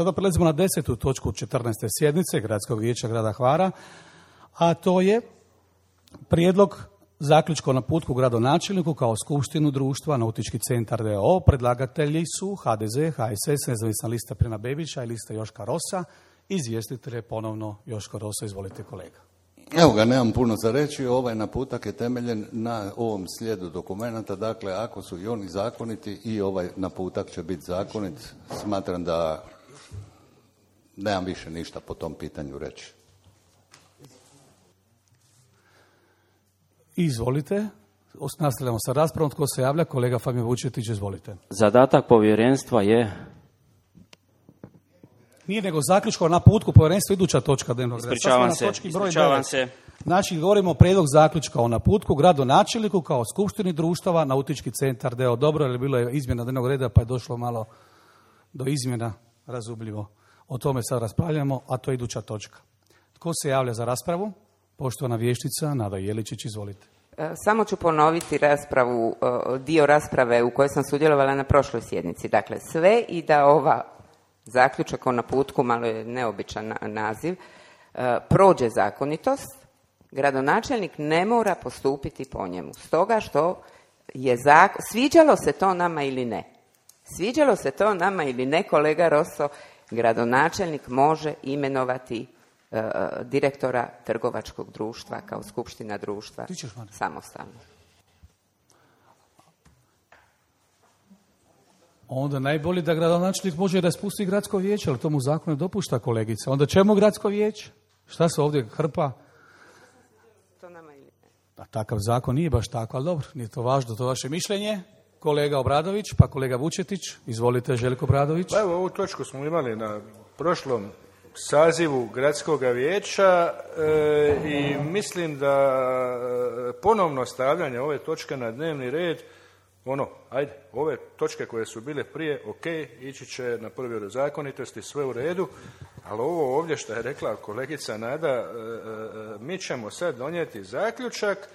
Sada prelazimo na 10. točku 14. sjednice Gradskog vijeća grada Hvara, a to je prijedlog zaključka o naputku gradonačelniku kao skupštinu društva Nautički centar d.o.o. Predlagatelji su HDZ, HSS, Nezavisna lista Prina Bebića i lista Joška Rosa. Izvjestitelj je ponovno Joško Rosa. Izvolite kolega. Evo ga, nemam puno za reći. Ovaj naputak je temeljen na ovom slijedu dokumenata. Dakle, ako su i oni zakoniti, i ovaj naputak će biti zakonit. Smatram da nemam više ništa po tom pitanju reći. Izvolite. Nastavljamo sa raspravom. Tko se javlja? Kolega Fabio Vučetić, izvolite. Zadatak povjerenstva je... Nije nego zaključko o naputku povjerenstva, iduća točka dnevnog reda. Ispričavam se. Znači, govorimo o prijedlog zaključka o naputku gradonačelniku kao skupštini društava Nautički centar d.o.o. Dobro, jer bilo je izmjena dnevnog reda, pa je došlo malo do izmjena, razumljivo. O tome sad raspravljamo, a to je iduća točka. Tko se javlja za raspravu? Poštovana vijećnica Nada Jeličić, izvolite. Samo ću ponoviti dio rasprave u kojoj sam sudjelovala na prošloj sjednici. Dakle, sve i da ova zaključak o naputku, malo je neobičan naziv, prođe zakonitost, gradonačelnik ne mora postupiti po njemu. Stoga što je sviđalo se to nama ili ne. Sviđalo se to nama ili ne, kolega Rosso, gradonačelnik može imenovati direktora trgovačkog društva kao skupština društva samostalno. Onda najbolje da gradonačelnik može raspustiti gradsko vijeće, ali to mu zakon ne dopušta, kolegica. Onda čemu gradsko vijeće? Šta se ovdje hrpa? To nama ili ne. A takav zakon nije baš tako, ali dobro, nije to važno, to vaše mišljenje. Kolega Obradović, pa kolega Vučetić. Izvolite, Željko Obradović. Pa evo, ovu točku smo imali na prošlom sazivu gradskog vijeća i mislim da ponovno stavljanje ove točke na dnevni red, ove točke koje su bile prije, ok, ići će na provjeru zakonitosti, sve u redu, ali ovo ovdje što je rekla kolegica Nada, mi ćemo sad donijeti zaključak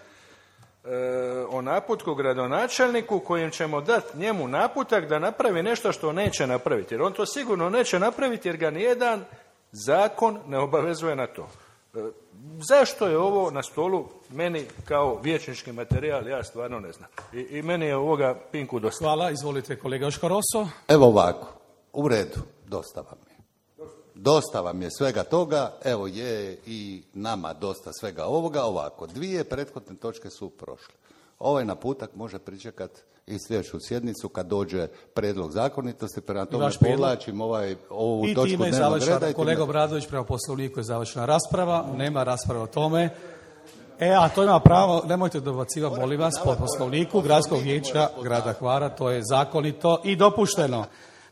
o naputku gradonačelniku kojim ćemo dati njemu naputak da napravi nešto što neće napraviti. Jer on to sigurno neće napraviti jer ga nijedan zakon ne obavezuje na to. Zašto je ovo na stolu meni kao vijećnički materijal, ja stvarno ne znam. I meni je ovoga pinku dosta. Hvala, izvolite kolega Joško Rosso. Evo ovako, u redu, dosta vam je. Dosta vam je svega toga, evo je i nama dosta svega ovoga. Ovako, 2 prethodne točke su prošle. Ovaj naputak može pričekati i sljedeću sjednicu kad dođe prijedlog zakonitosti, prema tome povlačim ovu točku dnevnog reda. Kolega Obradović, prema poslovniku je završena rasprava, nema rasprave o tome. A to ima pravo, nemojte dobacivati, molim vas, po poslovniku Gradskog vijeća grada Hvara, to je zakonito i dopušteno.